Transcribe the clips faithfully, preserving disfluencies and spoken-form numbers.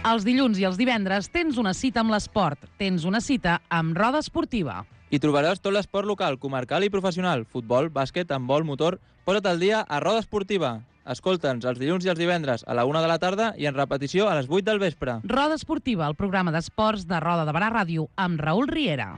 Els dilluns i els divendres tens una cita amb l'esport. Tens una cita amb Roda Esportiva. Hi trobaràs tot l'esport local, comarcal i professional. Futbol, bàsquet, handbol, motor... Posa't al dia a Roda Esportiva. Escolta'ns els dilluns i els divendres a la una de la tarda i en repetició a les vuit del vespre. Roda Esportiva, el programa d'esports de Roda de Barà Ràdio amb Raül Riera.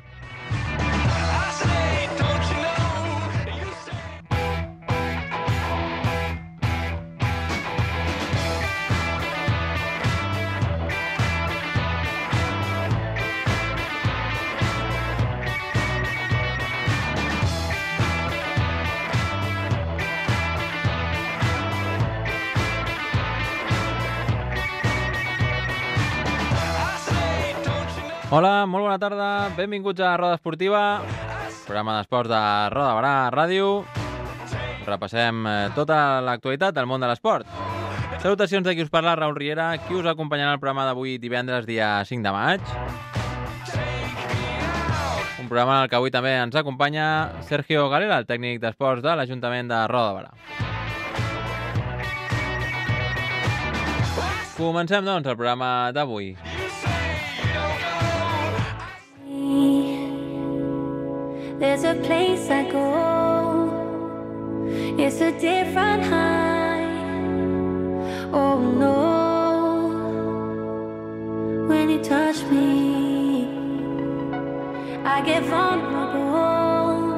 Hola, molt bona tarda, benvinguts a Roda Esportiva, programa d'esports de Roda de Barà Ràdio. Repassem tota l'actualitat del món de l'esport. Salutacions de qui us parla, Raül Riera, qui us acompanyarà al programa d'avui divendres, dia cinc de maig. Un programa en el que avui també ens acompanya Sergio Galera, el tècnic d'esports de l'Ajuntament de Roda de Barà. Comencem, doncs, el programa d'avui. There's a place I go, it's a different high. Oh no, when you touch me, I get vulnerable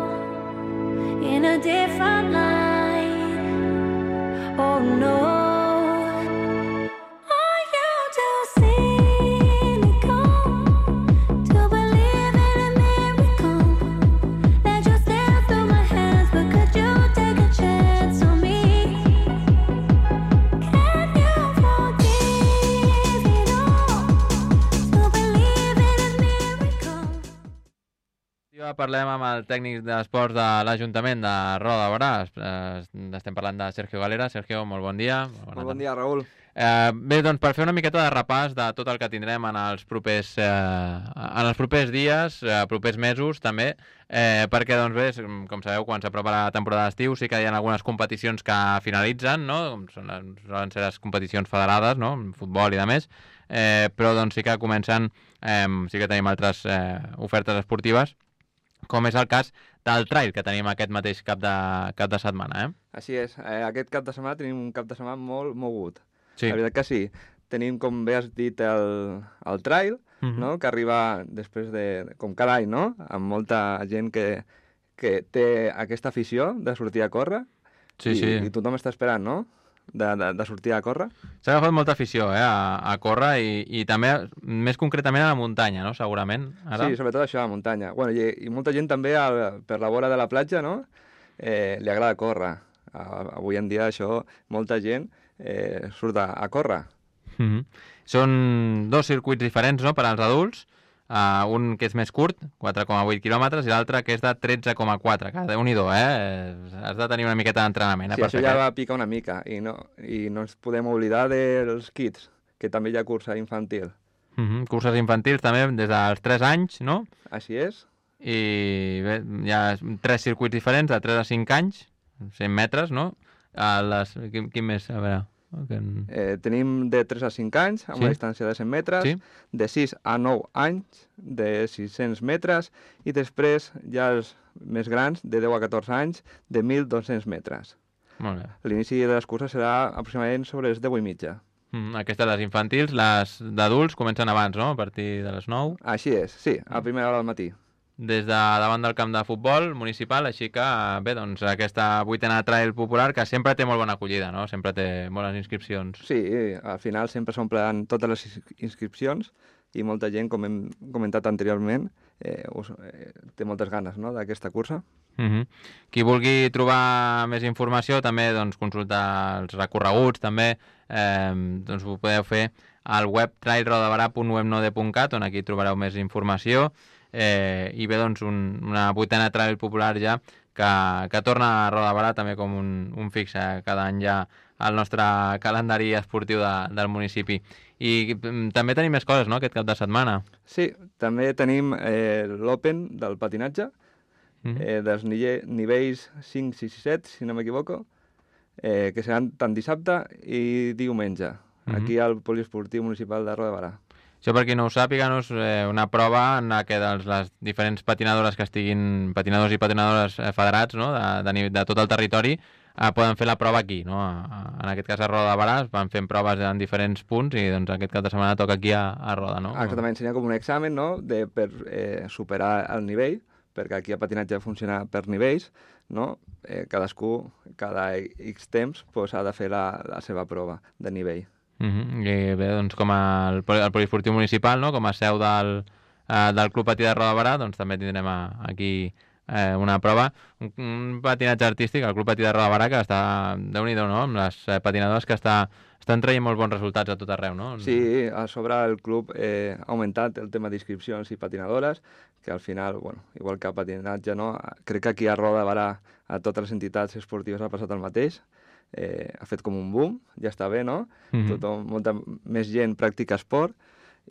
in a different light. Oh no. Parlem amb el tècnic d'esports de l'Ajuntament de Roda de Barà. Estem parlant de Sergio Galera. Sergio, molt bon dia. Molt, molt bon dia, Raül. Eh, bé, doncs per fer una miqueta de repàs de tot el que tindrem en els propers, eh, en els propers dies, eh, propers mesos també, eh, perquè doncs bé, com sabeu, quan s'apropa la temporada d'estiu sí que hi ha algunes competicions que finalitzen, no? Són, solen ser les competicions federades, no? Futbol i de més, eh, però doncs sí que comencen, eh, sí que tenim altres eh, ofertes esportives, com és el cas del trail que tenim aquest mateix cap de, cap de setmana, eh? Així és. Eh, aquest cap de setmana tenim un cap de setmana molt mogut. Sí. La veritat que sí. Tenim, com bé has dit, el, el trail, uh-huh. no? Que arriba després de, com cada any, no? Amb molta gent que, que té aquesta afició de sortir a córrer. Sí, i, sí. I tothom està esperant, no? De, de, de sortir a córrer. S'ha agafat molta afició eh, a, a córrer i, i també, més concretament, a la muntanya, no? Segurament. Ara. Sí, sobretot això, a la muntanya. Bueno, i, i molta gent també al, per la vora de la platja, no? Eh, li agrada córrer. A, avui en dia això, molta gent eh, surt a, a córrer. Mm-hmm. Són dos circuits diferents, no?, per als adults. Uh, un que és més curt, quatre coma vuit quilòmetres, i l'altre que és de tretze coma quatre. Que Déu-n'hi-do, eh? Has de tenir una miqueta d'entrenament. Eh, sí, això ja va picar una mica. I no, I no ens podem oblidar dels kids, que també hi ha cursa infantil. Mm-hmm. Curses infantils també des dels tres anys, no? Així és. I bé, hi ha tres circuits diferents, de tres a cinc anys, cent metres, no? A les... quin, quin més? A veure... Okay. Eh, tenim de tres a cinc anys, amb sí. una distància de cent metres, sí. de sis a nou anys, de sis-cents metres, i després ja els més grans, de deu a catorze anys, de mil dos-cents metres. Molt bé. L'inici de les curses serà aproximadament sobre les deu i mitja. Mm, aquestes, les infantils, les d'adults comencen abans, no?, a partir de les nou. Així és, sí, a primera hora del matí. Des de davant del camp de futbol municipal, així que, bé, doncs, aquesta vuitena trail popular que sempre té molt bona acollida, no? Sempre té bones inscripcions. Sí, al final sempre s'omplen totes les inscripcions i molta gent, com hem comentat anteriorment, eh, us, eh, té moltes ganes, no?, d'aquesta cursa. Mm-hmm. Qui vulgui trobar més informació, també doncs, consultar els recorreguts, també, eh, doncs ho podeu fer al web trail rodabarà punt webnode punt cat, on aquí trobareu més informació. Eh, i bé, doncs, un, una vuitena trail popular ja que, que torna a Roda de Barà també com un, un fix eh, cada any ja al nostre calendari esportiu de, del municipi. I mm, també tenim més coses, no?, aquest cap de setmana. Sí, també tenim eh, l'Open del patinatge, mm-hmm. eh, dels nivells cinc, sis i set, si no m'equivoco, eh, que seran tant dissabte i diumenge. aquí al Poliesportiu Municipal de Roda de Barà. Això, per qui no ho sàpiga, no és eh, una prova en la que doncs, les diferents patinadores que estiguin, patinadors i patinadores eh, federats, no? de, de, nivell- de tot el territori, eh, poden fer la prova aquí. No? A, a, en aquest cas a Roda de Barà es van fent proves en diferents punts i doncs, aquest cap de setmana toca aquí a, a Roda. No? Ah, exactament, seria com un examen, no?, de, per eh, superar el nivell, perquè aquí el patinatge funciona per nivells, no? Eh, cadascú, cada X temps, pues, ha de fer la, la seva prova de nivell. Uh -huh. I bé, doncs com el, poli- el poliesportiu municipal, no? Com a seu del, eh, del Club Patí de Roda de Barà, doncs també tindrem a, aquí eh, una prova, un, un patinatge artístic, el Club Patí de Roda de Barà, que està, déu-n'hi-do, no?, amb les eh, patinadores que està, estan traient molt bons resultats a tot arreu, no? Sí, a sobre el club eh, ha augmentat el tema d'inscripcions i patinadores, que al final, bueno, igual que el patinatge, no? Crec que aquí a Roda de Barà a totes les entitats esportives ha passat el mateix. Eh, ha fet com un boom, ja està bé, no? Mhm. Tothom, molta més gent practica esport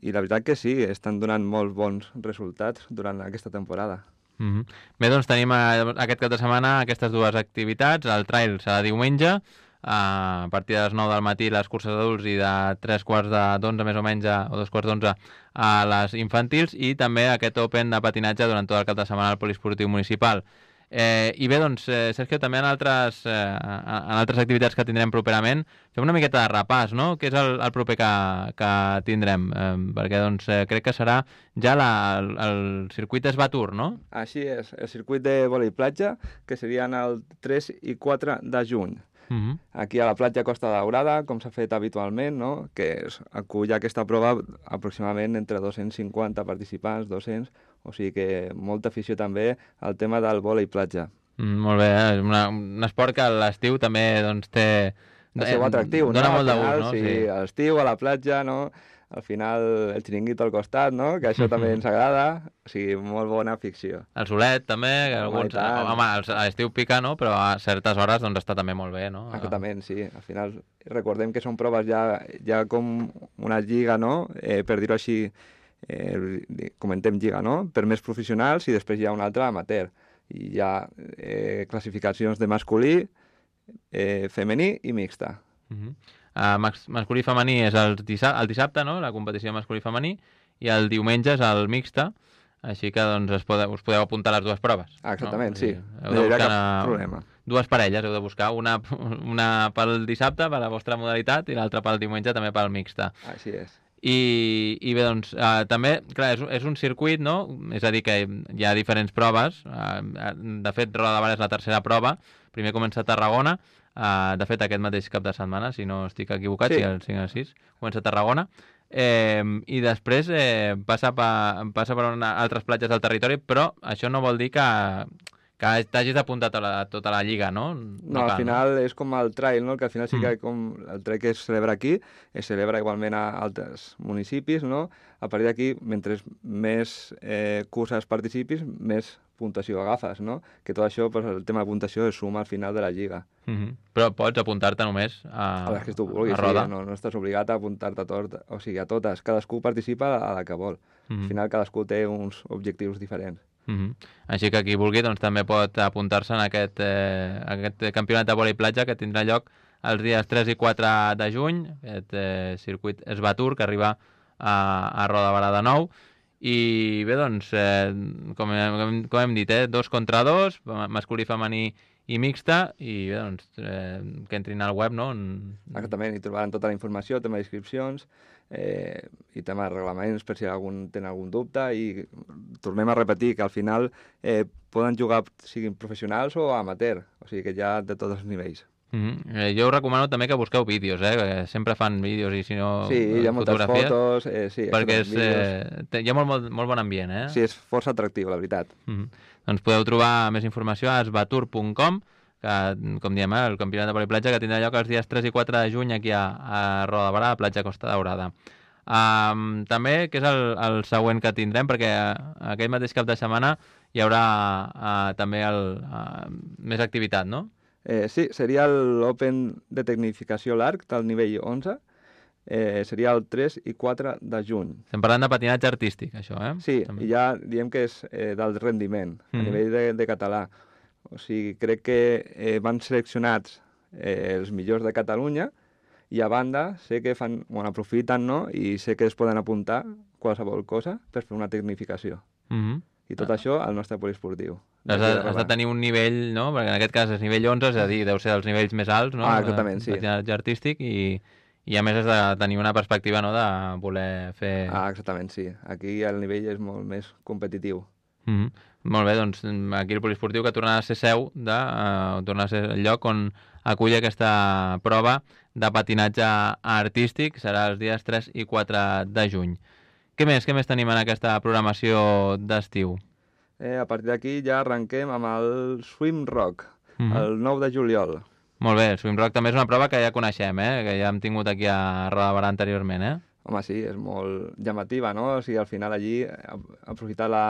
i la veritat que sí, estan donant molt bons resultats durant aquesta temporada. Mm -hmm. Bé, doncs tenim eh, aquest cap de setmana aquestes dues activitats. El trail serà diumenge, a partir de les nou del matí les curses d'adults i de tres quarts de d'onze més o menys, a, o dos quarts d'onze a les infantils, i també aquest Open de patinatge durant tot el cap de setmana al Poliesportiu Municipal. Eh, I bé, doncs, eh, Sergio, també en altres, eh, en altres activitats que tindrem properament, fem una miqueta de repàs, no? Què és el, el proper que, que tindrem? Eh, perquè doncs, eh, crec que serà ja la, el, el circuit Esbatur, no? Així és, el circuit de vòlei platja, que serien el tres i quatre de juny. Uh -huh. Aquí a la platja Costa Daurada, com s'ha fet habitualment, no? Que es acull aquesta prova aproximadament entre dos-cents cinquanta participants, dos-cents, o sigui que molta afició també al tema del vòlei platja. Mm, molt bé, eh? Una, un esport que a l'estiu també doncs, té... El seu atractiu, dona no? molt de Al final, gust, no? Sí, a l'estiu, a la platja, no? Al final, el xiringuito al costat, no? Que això també ens agrada. O sigui, molt bona ficció. El solet, també, que Home, alguns... i tant. Home, al- a l'estiu pica, no? Però a certes hores doncs, està també molt bé, no? Exactament, sí. Al final, recordem que són proves ja, ja com una lliga, no? Eh, per dir-ho així, eh, comentem lliga, no? Per més professionals i després hi ha una altra amateur. I hi ha eh, classificacions de masculí, eh, femení i mixta. Uh -huh. uh, mas masculí i femení és el, dissabte, el dissabte, no? La competició masculí i femení, i el diumenge és el mixta, així que doncs, es pode, us podeu apuntar a les dues proves. Ah, exactament, no? sí. Heu No de hi haurà buscar cap una- problema. Dues parelles heu de buscar, una, una pel dissabte, per la vostra modalitat, i l'altra pel diumenge, també pel mixta. Així és. I, i bé, doncs, eh, també, clar, és, és un circuit, no? És a dir, que hi ha diferents proves. Eh, de fet, Roda de Barà és la tercera prova. Primer comença a Tarragona. Eh, de fet, aquest mateix cap de setmana, si no estic equivocat, Sí. si el cinc a sis, comença a Tarragona. Eh, I després eh, passa, per, passa per una, altres platges del territori, però això no vol dir que, que t'hagis d'apuntar a, la, a tota la lliga, no? No, al cal, final és com el trail, no? Que al final sí que Mm. com el trail que es celebra aquí, es celebra igualment a altres municipis, no? A partir d'aquí, mentre més eh, curses participis, més puntuació agafes, no? Que tot això, pues, el tema de puntuació es suma al final de la lliga. Uh -huh. Però pots apuntar-te només a, A les que tu vulguis, a Roda. sí, no, no estàs obligat a apuntar-te a tot, o sigui, a totes. Cadascú participa a la que vol. Uh -huh. Al final cadascú té uns objectius diferents. Uh -huh. Així que qui vulgui doncs, també pot apuntar-se en aquest, eh, aquest campionat de vòlei platja que tindrà lloc els dies tres i quatre de juny, aquest eh, circuit Esbatur que arriba a, a Roda de Barà de nou. I bé, doncs, eh, com, hem, com hem dit, eh, dos contra dos, masculí, femení i mixta, i bé, doncs, eh, que entrin al web, no? En... Exactament, hi trobaran tota la informació, tema d'inscripcions eh, i tema de reglaments per si algun tenen algun dubte, i tornem a repetir que al final eh, poden jugar siguin professionals o amateur, o sigui que hi ha de tots els nivells. Mm -hmm. eh, jo us recomano també que busqueu vídeos, eh? Que sempre fan vídeos i si no Sí, hi ha moltes fotografies, fotos, eh, sí, perquè és, vídeos. eh, té- hi ha molt, molt, molt bon ambient, eh? Sí, és força atractiu, la veritat. Mm -hmm. Doncs podeu trobar més informació a esbatur punt com, que, com diem, eh, el campionat de vòlei platja que tindrà lloc els dies tres i quatre de juny aquí a, a Roda de Barà, a platja Costa Daurada. Um, també, que és el, el següent que tindrem, perquè aquell mateix cap de setmana hi haurà uh, també el, uh, més activitat, no? Eh, sí, seria l'Open de Tecnificació Larg del nivell onze, eh, seria el tres i quatre de juny. Estem parlant de patinatge artístic, això, eh? Sí, També. i ja diem que és eh, d'alt rendiment, a Mhm. nivell de, de català. O sigui, crec que eh, van seleccionats eh, els millors de Catalunya I a banda, sé que fan, bueno, aprofiten, no?, i sé que es poden apuntar qualsevol cosa per fer una tecnificació. Mm-hmm. I tot ah. això al nostre poliesportiu. Has de, has de tenir un nivell, no?, perquè en aquest cas és nivell onze, és a dir, deu ser dels nivells més alts, no?, ah, exactament, sí. patinatge artístic, i, i a més has de tenir una perspectiva, no?, de voler fer... Ah, exactament, sí. Aquí el nivell és molt més competitiu. Mm-hmm. Molt bé, doncs aquí el poliesportiu que tornarà a ser seu, de, uh, tornarà a ser el lloc on acull aquesta prova de patinatge artístic, serà els dies tres i quatre de juny. Què més? Què més tenim en aquesta programació d'estiu? Eh, a partir d'aquí ja arrenquem amb el Swim Rock, mm-hmm. el nou de juliol. Molt bé, el Swim Rock també és una prova que ja coneixem, eh? Que ja hem tingut aquí a Roda de Barà anteriorment, eh? Home, sí, és molt llamativa, no? O sigui, al final allí, aprofitar la,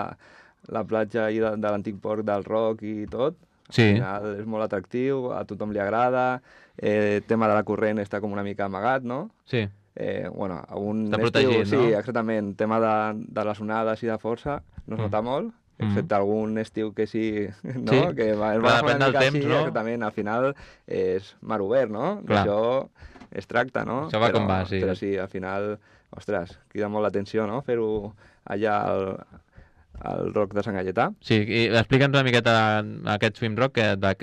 la platja de, de l'antic port del Roc i tot, sí. Al final és molt atractiu, a tothom li agrada, eh, el tema de la corrent està com una mica amagat, no? Sí. Eh, bueno, un està estiu, protegit, no? Sí, exactament. El tema de, de les onades i de força no es nota mm. molt, excepte mm. algun estiu que sí, no? Sí. Que va, va depèn del temps, així, no? Exactament, al final és mar obert, no? Clar. Això es tracta, no? Això va però, com va, sí. Però sí, al final, ostres, crida molt l'atenció, no? Fer-ho allà al, al Roc de Sant Galletà. Sí, i explica'ns una miqueta aquest Swim Rock, que de,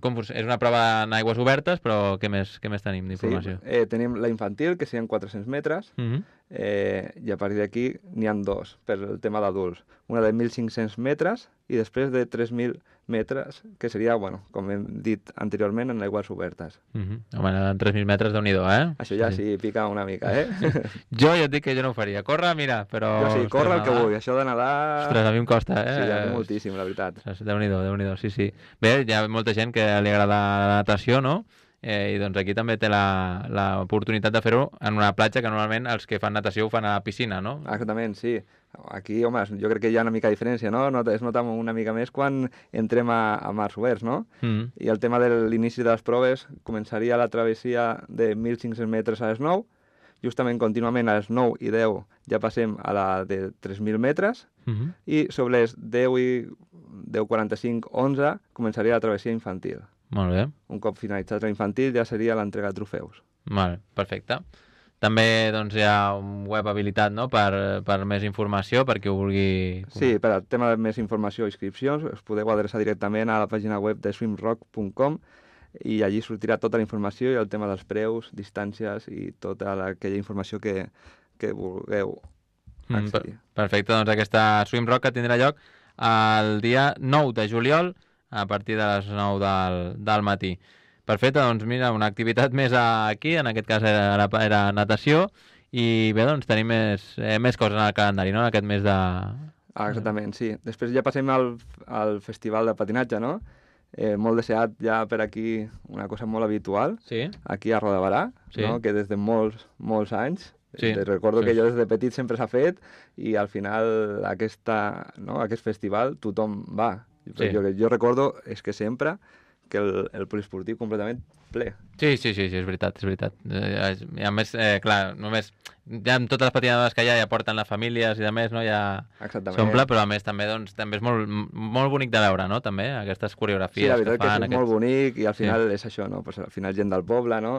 com, és una prova en aigües obertes, però què més, què més tenim d'informació? Sí, eh, tenim la infantil, que serien quatre-cents metres, mm-hmm. eh, i a partir d'aquí n'hi ha dos, per el tema d'adults. Una de mil cinc-cents metres i després de tres mil metres, que seria, bueno, com hem dit anteriorment, en aigües obertes. Mm-hmm. Home, en tres mil metres, Déu-n'hi-do, eh? Això ja sí, sí pica una mica, eh? Jo ja et dic que jo no ho faria. Córrer, mira, però... Jo sí, córrer el que vull. Això de nedar... Ostres, a mi em costa, eh? Sí, a mi moltíssim, la veritat. Déu-n'hi-do, Déu-n'hi-do, sí, sí. Bé, hi ha molta gent que li agrada la natació, no? Eh, I doncs aquí també té l'oportunitat de fer-ho en una platja que normalment els que fan natació ho fan a la piscina, no? Exactament, sí. Aquí, home, jo crec que hi ha una mica de diferència, no? Es nota una mica més quan entrem a, a mars oberts, no? Mm. I el tema de l'inici de les proves començaria la travessia de mil cinc-cents metres a les nou, justament contínuament a les nou i deu ja passem a la de tres mil metres, mm-hmm. i sobre les deu i deu quaranta-cinc, onze començaria la travessia infantil. Molt bé. Un cop finalitzat la infantil ja seria l'entrega de trofeus. Vale, perfecte. També doncs, hi ha un web habilitat, no?, per, per més informació, per qui ho vulgui... Sí, per al tema de més informació i inscripcions us podeu adreçar directament a la pàgina web de swimrock punt com i allí sortirà tota la informació i el tema dels preus, distàncies i tota la, aquella informació que, que vulgueu accedir. Mm, perfecte, doncs aquesta Swimrock que tindrà lloc el dia nou de juliol a partir de les nou del, del matí. Perfecte, doncs mira, una activitat més aquí, en aquest cas era, era natació, i bé, doncs tenim més, eh, més coses en el calendari, no?, en aquest mes de... Ah, exactament, sí. Després ja passem al, al festival de patinatge, no?, eh, molt deseat ja per aquí, una cosa molt habitual, sí. Aquí a Roda de Barà, sí. No?, que des de molts, molts anys, sí. Te recordo sí. que jo des de petit sempre s'ha fet, i al final aquesta, no, aquest festival tothom va. Sí. Jo, jo recordo és que sempre que el, el poliesportiu completament ple. Sí, sí, sí, sí, és veritat, és veritat. Eh, I a més, eh, clar, només ja amb totes les patinadores que hi ha ja porten les famílies i de més, no? Ja s'omple, però a més també, doncs, també és molt, molt bonic de veure, no?, també, aquestes coreografies sí, la veritat que fan. Que és aquests... molt bonic i al final sí. és això, no? Pues al final gent del poble, no?,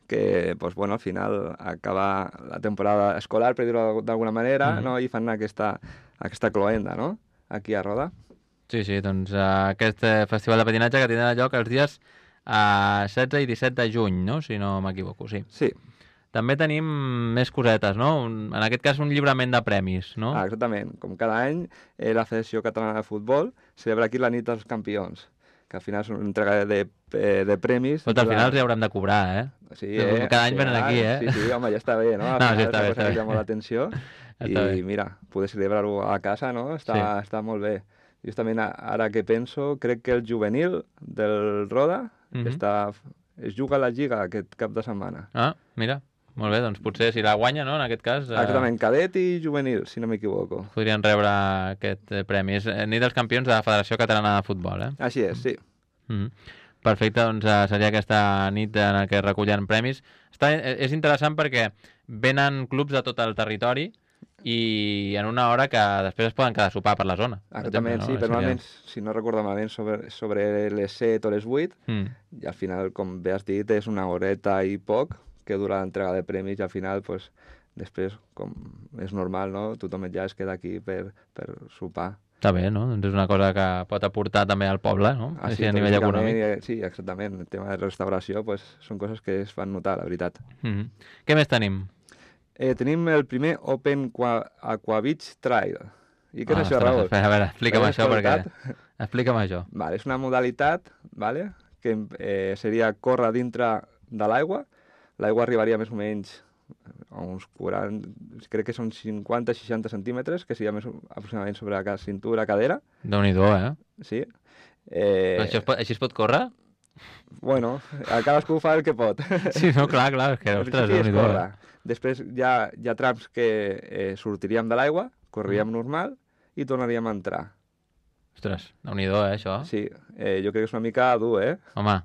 que, pues, bueno, al final acaba la temporada escolar, per dir-ho d'alguna manera, mm-hmm. no?, i fan aquesta, aquesta cloenda, no?, aquí a Roda. Sí, sí, doncs uh, aquest uh, festival de patinatge que tindrà lloc els dies uh, setze i disset de juny, no?, si no m'equivoco, sí. Sí. També tenim més cosetes, no?, un, en aquest cas un lliurament de premis, no? Ah, exactament. Com cada any, eh, la Federació Catalana de Futbol celebra aquí la nit dels campions, que al final és una entrega de, de, de premis. Però al final els hi haurem de cobrar, eh? Sí, eh? Cada any sí, venen aquí, eh? Sí, sí, home, ja està bé, no? Al no, final sí, està bé, està bé. Llama l'atenció i bé. mira, poder celebrar-ho a casa, no? Està, sí. Està molt bé. Justament ara que penso, crec que el juvenil del Roda mm-hmm. està, es juga a la Lliga aquest cap de setmana. Ah, mira, molt bé, doncs potser si la guanya, no?, en aquest cas... Eh... Exactament, cadet i juvenil, si no m'equivoco. Podrien rebre aquest premi. És nit dels campions de la Federació Catalana de Futbol, eh? Així és, sí. Mm-hmm. Perfecte, doncs seria aquesta nit en què recullen premis. Està, és interessant perquè venen clubs de tot el territori i en una hora que després es poden quedar a sopar per la zona. Exactament, exemple, no? Sí, però normalment, si no recordo malament, sobre, sobre les set o les vuit, mm. i al final, com bé has dit, és una horeta i poc que dura l'entrega de premis i al final, pues, després, com és normal, no? Tothom ja es queda aquí per, per sopar. Està bé, no? Doncs és una cosa que pot aportar també al poble, no? Ah, Així sí, a nivell econòmic. i- Sí, exactament. El tema de restauració pues, són coses que es fan notar, la veritat. Mhm. Què més tenim? Eh, tenim el primer Open Qua- Aqua Beach Trail. I què és Ah, això, ostres, Raül? espera, a veure, explica'm L'has això, perquè... escoltat? Explica'm això. Vale, és una modalitat, vale, que eh, seria córrer dintre de l'aigua. L'aigua arribaria més o menys a uns quaranta, crec que són cinquanta seixanta centímetres, que seria més o- aproximadament sobre la cintura, cadera, Déu-n'hi-do, eh? sí. Eh, Però això es pot, així es pot córrer? Bueno, a cadascú fa el que pot. Sí, no, clar, clar, és que, Al ostres, principi és Déu-n'hi-do. córrer. Eh? Després hi ha, hi ha trams que eh, sortiríem de l'aigua, correríem normal i tornaríem a entrar. Ostres, Déu-n'hi-do, eh, això. Sí, eh, jo crec que és una mica dur, eh? Home,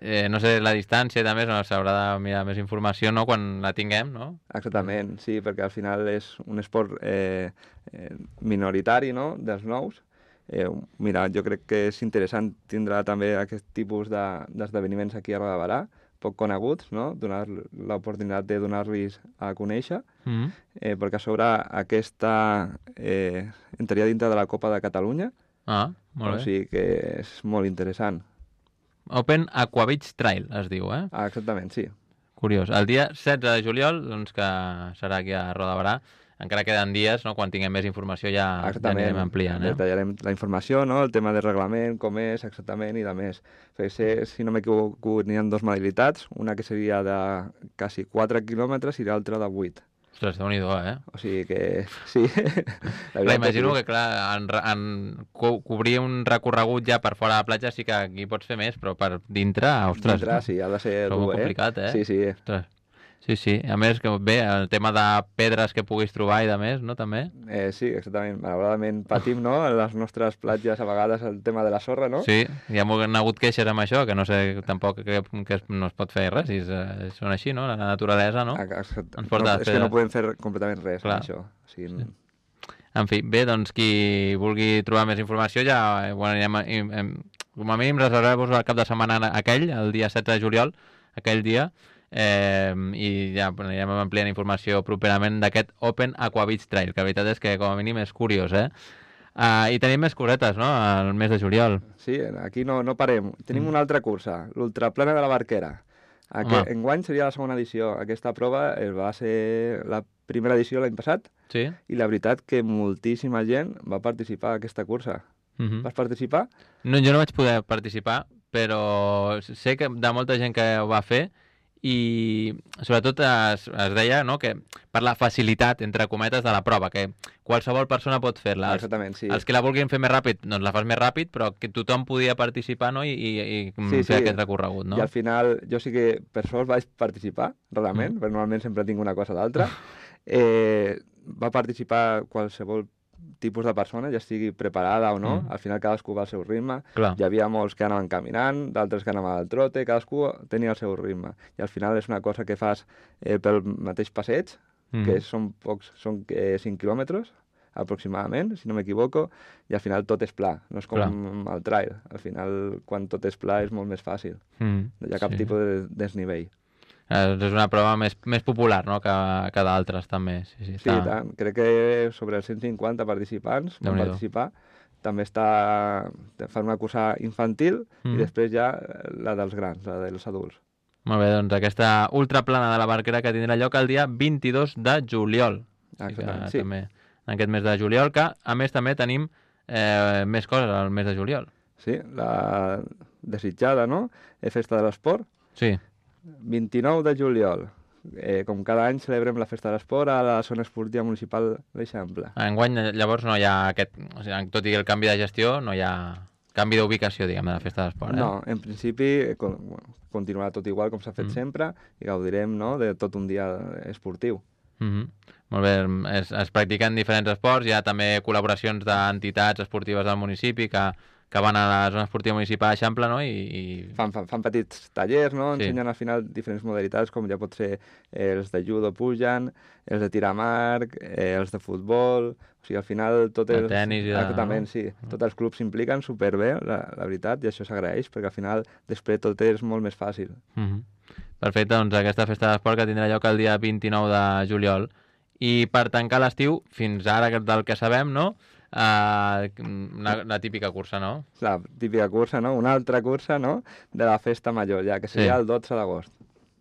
eh, no sé, la distància també no, s'haurà de mirar més informació, no?, quan la tinguem, no? Exactament, sí, perquè al final és un esport eh, eh, minoritari, no?, dels nous. Eh, mira, jo crec que és interessant tindrà també aquest tipus de- d'esdeveniments aquí a Roda de Barà, poc coneguts, no?, donar l'oportunitat de donar-los a conèixer, Mm -hmm. eh, perquè a sobre aquesta eh, entraria dintre de la Copa de Catalunya, Ah, molt o bé. sigui que és molt interessant. Open Aqua Beach Trail, es diu, eh? Ah, exactament, sí. Curiós. El dia setze de juliol, doncs, que serà aquí a Roda de Barà, encara queden dies, no?, quan tinguem més informació ja, ja anirem ampliant, eh? Detallarem la informació, no?, el tema del reglament, com és exactament i de més. Perquè sé, si no m'equivoco, n'hi ha dues modalitats, una que seria de quasi quatre quilòmetres i l'altra de vuit. Ostres, Déu-n'hi-do, eh? O sigui que, sí. La Clar, veritat imagino és que, clar, en, re- en co cobrir un recorregut ja per fora de la platja sí que aquí pots fer més, però per dintre, ostres, dintre, sí, ha de ser és molt dur, eh? complicat, eh? Sí, sí. Ostres. Sí, sí. A més, que bé, el tema de pedres que puguis trobar i de més, no?, també? Eh, sí, exactament. Malauradament patim, no?, a les nostres platges a vegades el tema de la sorra, no? Sí, hi ha han hagut queixes amb això, que no sé tampoc que, que es- no es pot fer res, si és, eh, són així, no?, la naturalesa, no? Ah, exacte. Ens porta no, a és fer- que no podem fer completament res Clar. amb això. O sigui, Sí. En fi, bé, doncs qui vulgui trobar més informació ja, eh, bueno, anirem, a- im- em, com a mínim reserveu-vos el cap de setmana aquell, el dia setze de juliol, aquell dia, eh, i ja bueno, anirem ampliant informació properament d'aquest Open Aqua Beach Trail, que la veritat és que com a mínim és curiós, eh? Uh, I tenim més cosetes, no?, al mes de juliol. Sí, aquí no, no parem. Tenim Mm. una altra cursa, l'Ultraplana de la Barquera. Home. Aquest, enguany seria la segona edició. Aquesta prova eh, va ser la primera edició l'any passat Sí? i la veritat que moltíssima gent va participar a aquesta cursa. Uh -huh. Vas participar? No, jo no vaig poder participar, però sé que de molta gent que ho va fer i sobretot es, es deia, no?, que per la facilitat, entre cometes, de la prova, que qualsevol persona pot fer-la. Els, Exactament, sí. els que la vulguin fer més ràpid, doncs la fas més ràpid, però que tothom podia participar, no?, i, i, i Sí, fer sí. aquest recorregut, no? I al final, jo sí que per sort vaig participar, realment, mm. perquè normalment sempre tinc una cosa o l'altra. Eh, va participar qualsevol tipus de persona, ja estigui preparada o no. Mm. Al final cadascú va al seu ritme. Clar. Hi havia molts que anaven caminant, d'altres que anaven al trote, cadascú tenia el seu ritme. I al final és una cosa que fas eh, pel mateix passeig, Mm. que són pocs, són eh, cinc quilòmetres aproximadament, si no m'equivoco, i al final tot és pla, no és com Clar. el trail. Al final, quan tot és pla, és molt més fàcil. Mm. No hi ha cap Sí. tipus de desnivell. Eh, És una prova més, més popular, no?, que, que d'altres, també. Sí, sí, Sí, està... tant. Crec que sobre els cent cinquanta participants van Déu-n'hi-do. participar. També està... fan una cursa infantil Mm. i després ja la dels grans, la dels adults. Molt bé, doncs aquesta ultraplana de la Barquera que tindrà lloc el dia vint-i-dos de juliol. Exactament, que sí. També, en aquest mes de juliol, que a més també tenim eh, més coses al mes de juliol. Sí, la desitjada, no? Eh, Festa de l'Esport, Sí, vint-i-nou de juliol. Eh, com cada any celebrem la Festa de l'Esport a la zona esportiva municipal d'Eixample. enguany llavors no hi ha aquest... O sigui, tot i el canvi de gestió, no hi ha canvi d'ubicació, diguem, de la festa d'esport. Eh? No, en principi eh, con, bueno, continuarà tot igual com s'ha fet Mm. sempre i gaudirem, no?, de tot un dia esportiu. Mm -hmm. Molt bé, es, es practiquen diferents esports, hi ha també col·laboracions d'entitats esportives del municipi que, que van a la zona esportiva municipal d'Eixample, no? I, i... Fan, fan, fan petits tallers, no? Sí. Ensenyen al final diferents modalitats, com ja pot ser eh, els de judo pugen, els de tir amb arc, eh, els de futbol... O sigui, al final tot el els... tenis i de... Exactament, sí. Tots els clubs s'impliquen superbé, la, la veritat, i això s'agraeix, perquè al final després tot és molt més fàcil. Mm-hmm. Perfecte, doncs aquesta festa d'esport que tindrà lloc el dia vint-i-nou de juliol. I per tancar l'estiu, fins ara del que sabem, no? Uh, la, la típica cursa, no? La típica cursa, no? Una altra cursa, no? De la festa major, ja, que seria Sí. el dotze d'agost.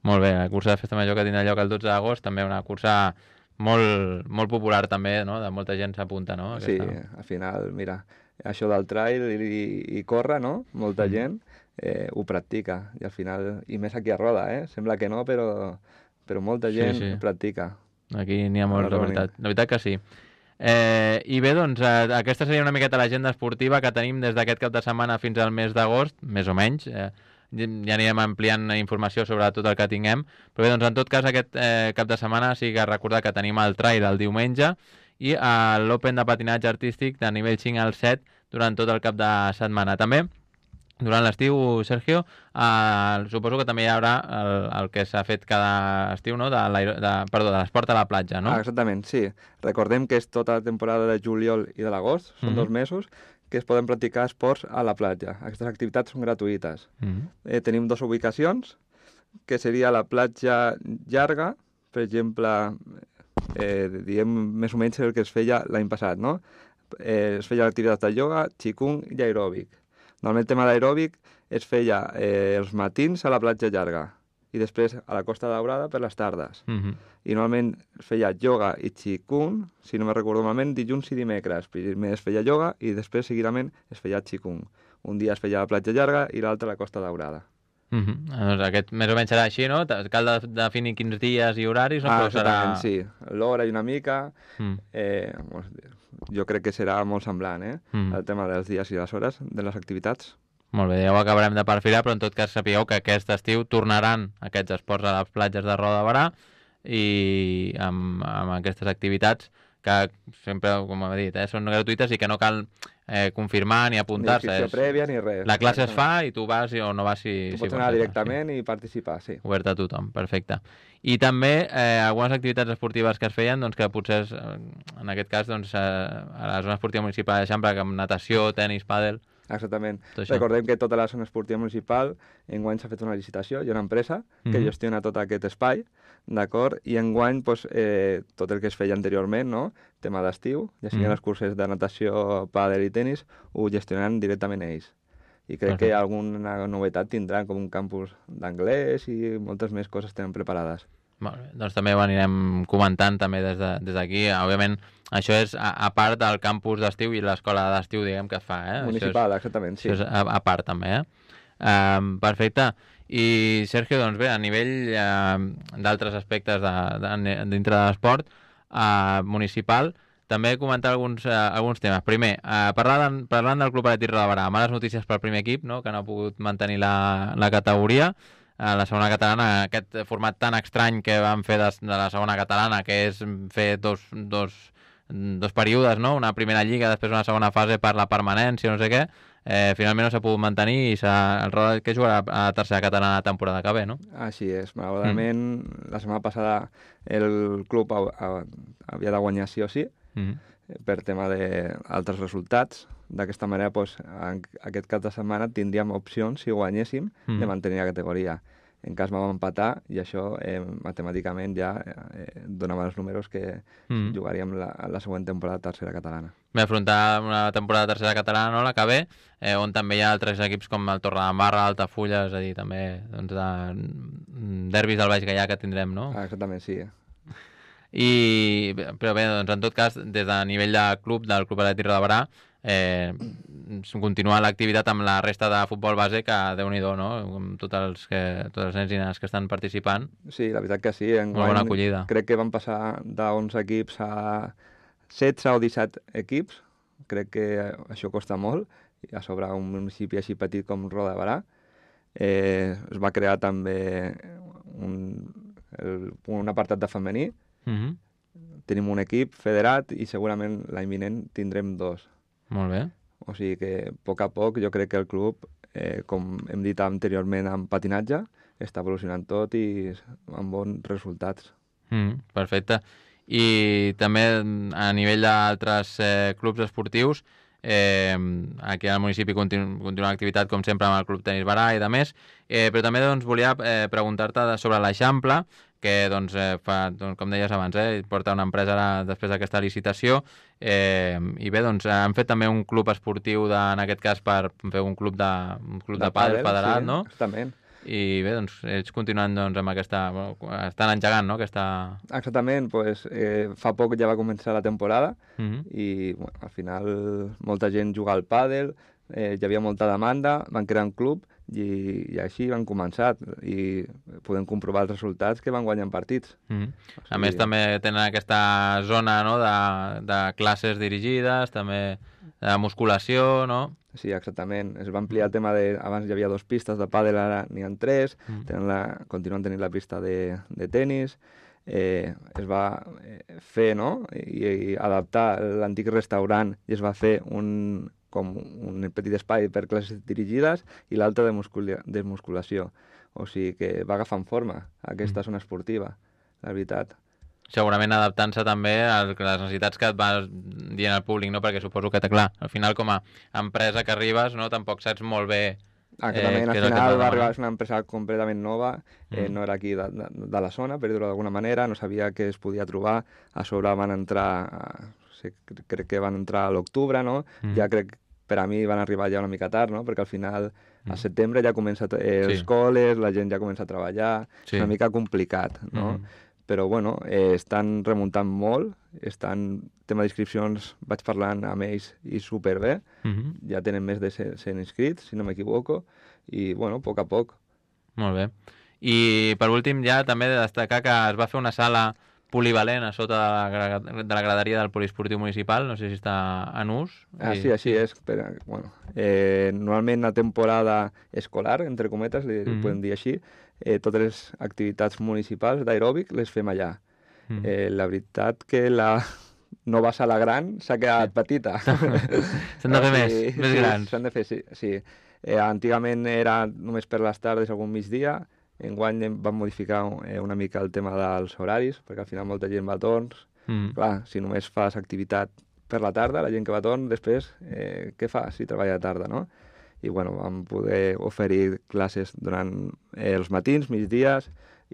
Molt bé, la cursa de festa major que tindrà lloc el dotze d'agost, també una cursa molt, molt popular també, no? De molta gent s'apunta, no? Aquesta... Sí, al final, mira, això del trail i, i córrer, no? Molta Mm. gent eh, ho practica, i al final, i més aquí a Roda, eh? Sembla que no, però, però molta Sí, gent sí. practica. Aquí n'hi ha molt, A la Roni. veritat. La veritat que sí. Eh, I bé, doncs, eh, aquesta seria una miqueta l'agenda esportiva que tenim des d'aquest cap de setmana fins al mes d'agost, més o menys. Eh, ja anirem ampliant informació sobre tot el que tinguem. Però bé, doncs, en tot cas, aquest eh, cap de setmana sí que recordar que tenim el trail el diumenge i eh, l'Open de patinatge artístic de nivell cinc al set durant tot el cap de setmana. També, durant l'estiu, Sergio, eh, suposo que també hi haurà el, el que s'ha fet cada estiu, no? de, de, perdó, de l'esport a la platja, no? Ah, exactament, sí. Recordem que és tota la temporada de juliol i de l'agost, són Mhm. dos mesos, que es poden practicar esports a la platja. Aquestes activitats són gratuïtes. Mm-hmm. Eh, tenim dues ubicacions, que seria la platja llarga, per exemple, eh, diem més o menys el que es feia l'any passat, no? Eh, es feia l'activitat de ioga, qigong i aeròbic. Normalment el tema d'aeròbic es feia eh, els matins a la platja llarga i després a la Costa Daurada per les tardes. Mm-hmm. I normalment es feia ioga i qigong, si no me recordo malament, dilluns i dimecres. Primer es feia ioga i després seguidament es feia qigong. Un dia es feia a la platja llarga i l'altre a la Costa Daurada. Mm-hmm. Doncs aquest més o menys serà així, no? Cal de- definir quins dies i horaris, no? Ah, Però serà... exactament, sí. L'hora i una mica. Mm. Eh, jo crec que serà molt semblant, eh? Mm. El tema dels dies i les hores de les activitats. Molt bé, ja ho acabarem de perfilar, però en tot cas sapigueu que aquest estiu tornaran aquests esports a les platges de Roda de Barà i amb, amb aquestes activitats que sempre, com he dit, eh, són gratuïtes i que no cal eh, confirmar ni Ni apuntar-se. inscripció És- prèvia ni res. La classe es fa i tu vas i- o no vas si... Tu si pots vols anar fer-la, directament i participar, sí. Sí. Obert a tothom, perfecte. I també eh, algunes activitats esportives que es feien, doncs, que potser, és, eh, en aquest cas, doncs, eh, a la zona esportiva municipal d'Eixample, com natació, tenis, pàdel... Exactament. Tot això. Recordem que tota la zona esportiva municipal enguany s'ha fet una licitació, hi ha una empresa que Mhm. gestiona tot aquest espai, d'acord? I enguany pues, eh, tot el que es feia anteriorment, no? Tema d'estiu, ja siguin Mhm. els cursos de natació, pàdel i tenis, ho gestionaran directament ells. I crec Perfecte. que alguna novetat tindran, com un campus d'anglès i moltes més coses tenen preparades. Molt bé, doncs també ho anirem comentant també des de- des d'aquí. De, Òbviament, això és a, a part del campus d'estiu i l'escola d'estiu, diguem, que es fa, eh? Municipal, això exactament, és, sí. Això és a, a part, també, eh? Um, perfecte. I, Sergio, doncs bé, a nivell uh, d'altres aspectes de, de, dintre de l'esport uh, municipal, també comentar alguns, uh, alguns temes. Primer, uh, parlant, parlant del Club Atlètic Roda de Barà, males notícies pel primer equip, no?, que no ha pogut mantenir la, la categoria. A la segona catalana, aquest format tan estrany que vam fer de, de la segona catalana, que és fer dos, dos, dos períodes, no? Una primera lliga, després una segona fase per la permanència, no sé què, eh, finalment no s'ha pogut mantenir i s'ha, el Roda que jugarà a la tercera catalana la temporada que ve, no? Així és. Malauradament, mm. la setmana passada el club ha, ha, havia de guanyar sí o sí, Mm. per tema d'altres resultats. D'aquesta manera, doncs, en aquest cap de setmana tindríem opcions, si guanyéssim, Mm. de mantenir la categoria. En cas vam empatar, i això eh, matemàticament ja eh, donava els números que Mm. jugaríem la, la següent temporada tercera catalana. Ve afrontar una temporada tercera catalana, no?, la que ve, eh, on també hi ha altres equips com el Torredembarra, Altafulla, és a dir, també doncs, de derbis del Baix Gaià que tindrem, no? Ah, exactament, sí. I, però bé, doncs en tot cas, des de nivell de club, del Club Atlètic Roda de Barà, eh, continuar l'activitat amb la resta de futbol base, que déu-n'hi-do, no?, amb tots els, que, tots els nens i nenes que estan participant. Sí, la veritat que sí. Molt bona acollida. Crec que van passar d'onze equips a setze o disset equips. Crec que això costa molt. I a sobre un municipi així petit com Roda de Barà. Eh, es va crear també un, el, un apartat de femení. Mm-hmm. Tenim un equip federat i segurament l'any vinent tindrem dos. Molt bé. O sigui que, a poc a poc, jo crec que el club, eh, com hem dit anteriorment amb patinatge, està evolucionant tot i amb bons resultats. Mm, perfecte. I també a nivell d'altres eh, clubs esportius, eh, aquí al municipi continu, continua l'activitat com sempre amb el Club Tenis Barà i de més, eh, però també doncs, volia eh, preguntar-te sobre l'Eixample, que doncs, eh, fa, doncs, com deies abans, eh, porta una empresa ara, després d'aquesta licitació, eh, i bé, doncs han fet també un club esportiu, de, en aquest cas per fer un club de, un club de, de pàdel federat, sí, no? Exactament. I bé, doncs, ells continuen doncs, amb aquesta... Estan engegant, no?, aquesta... Exactament, pues, eh, fa poc ja va començar la temporada uh-huh. i bueno, al final molta gent juga al pàdel, eh, hi havia molta demanda, van crear un club i, i així van començar i podem comprovar els resultats que van guanyant partits. Uh-huh. O sigui... A més, també tenen aquesta zona, no?, de, de classes dirigides, també de musculació, no? Sí, exactament. Es va ampliar el tema de... Abans hi havia dos pistes de pàdel, ara n'hi ha tres. Mm. Tenen la... Continuen tenint la pista de, de tenis. Eh, es va fer, no?, I, i adaptar l'antic restaurant i es va fer un, com un petit espai per classes dirigides i l'altre de, muscula... de musculació. O sigui que va agafant forma aquesta mm. zona esportiva, la veritat. Segurament adaptant-se també a les necessitats que et va dient el públic, no? Perquè suposo que, clar, al final com a empresa que arribes, no, tampoc saps molt bé... Exactament, eh, al final va arribar una empresa completament nova, eh, mm. no era aquí de, de, de la zona, per dir-ho d'alguna manera, no sabia què es podia trobar, a sobre van entrar, sí, crec que van entrar a l'octubre, no? Mm. Ja crec per a mi van arribar ja una mica tard, no? Perquè al final mm. a setembre ja comença eh, els sí. col·les, la gent ja comença a treballar, sí. és una mica complicat, no? Mm. Però, bueno, eh, estan remuntant molt, estan, tema d'inscripcions, vaig parlant amb ells i superbé, uh-huh. ja tenen més de cent inscrits, si no m'equivoco, i, bueno, a poc a poc. Molt bé. I, per últim, ja també de destacar que es va fer una sala polivalent a sota de la, de la graderia del poliesportiu municipal, no sé si està en ús. Ah, sí, així és. Però, bueno, eh, normalment a temporada escolar, entre cometes, li uh-huh. podem dir així, Eh, totes les activitats municipals d'aeròbic les fem allà. Mm. Eh, la veritat que la nova sala gran s'ha quedat petita. S'han de fer més, sí, més grans. S'han de fer, sí. sí. Eh, antigament era només per les tardes, algun migdia. Enguany vam modificar eh, una mica el tema dels horaris, perquè al final molta gent va a torns. Mm. Clar, si només fas activitat per la tarda, la gent que va a torn, després, eh, què fa si treballa a tarda, no? I bueno, vam poder oferir classes durant eh, els matins, migdies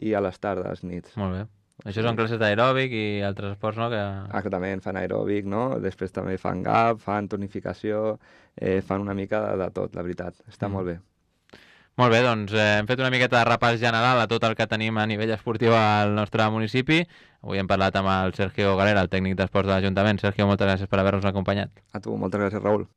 i a les tardes, nits. Molt bé. Això són classes d'aeròbic i altres esports, no? Que... Exactament, fan aeròbic, no? Després també fan gap, fan tonificació, eh, fan una mica de, de tot, la veritat. Està mm. molt bé. Molt bé, doncs eh, hem fet una miqueta de repàs general a tot el que tenim a nivell esportiu al nostre municipi. Avui hem parlat amb el Sergio Galera, el tècnic d'esports de l'Ajuntament. Sergio, moltes gràcies per haver-nos acompanyat. A tu, moltes gràcies, Raül.